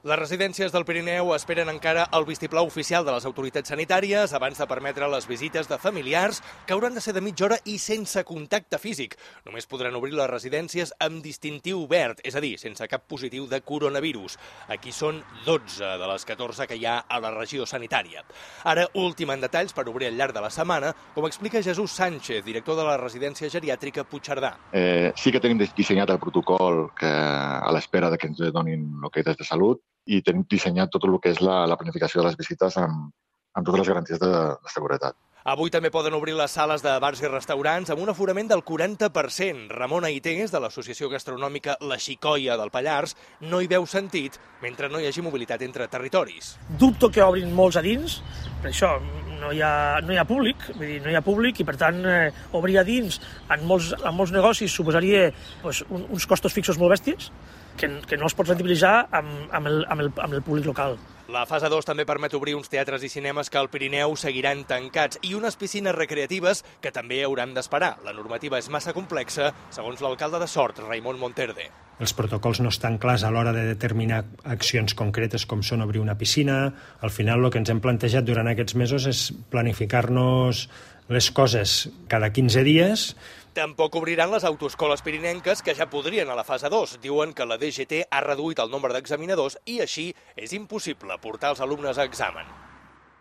Les residències del Pirineu esperen encara el vistiplau oficial de les autoritats sanitàries abans de permetre les visites de familiars, que hauran de ser de mitja hora i sense contacte físic. Només podran obrir les residències amb distintiu verd, és a dir, sense cap positiu de coronavirus. Aquí són 12 de les 14 que hi ha a la regió sanitària. Ara, últim en detalls per obrir al llarg de la setmana, com explica Jesús Sánchez, director de la residència geriàtrica Puigcerdà. Sí que tenim dissenyat el protocol a l'espera que ens donin l'ok des de Salut, i tenim dissenyat tot el que és la planificació de les visites amb totes les garanties de seguretat. Avui també poden obrir les sales de bars i restaurants amb un aforament del 40%. Ramon Aités, de l'Associació Gastronòmica La Xicoia del Pallars, no hi veu sentit mentre no hi hagi mobilitat entre territoris. Dubto que obrin molts a dins, per això no hi ha públic, vull dir, no hi ha públic i per tant obrir a dins en molts negocis suposaria uns costos fixos molt bèsties que no es pot rendibilitzar amb el públic local. La fase 2 també permet obrir uns teatres i cinemes que al Pirineu seguiran tancats i unes piscines recreatives que també hauran d'esperar. La normativa és massa complexa, segons l'alcalde de Sort, Raimon Monterde. Els protocols no estan clars a l'hora de determinar accions concretes com són obrir una piscina. Al final el que ens hem plantejat durant aquests mesos és planificar-nos les coses cada 15 dies. Tampoc obriran les autoescoles pirinenques, que ja podrien a la fase 2. Diuen que la DGT ha reduït el nombre d'examinadors i així és impossible portar els alumnes a examen.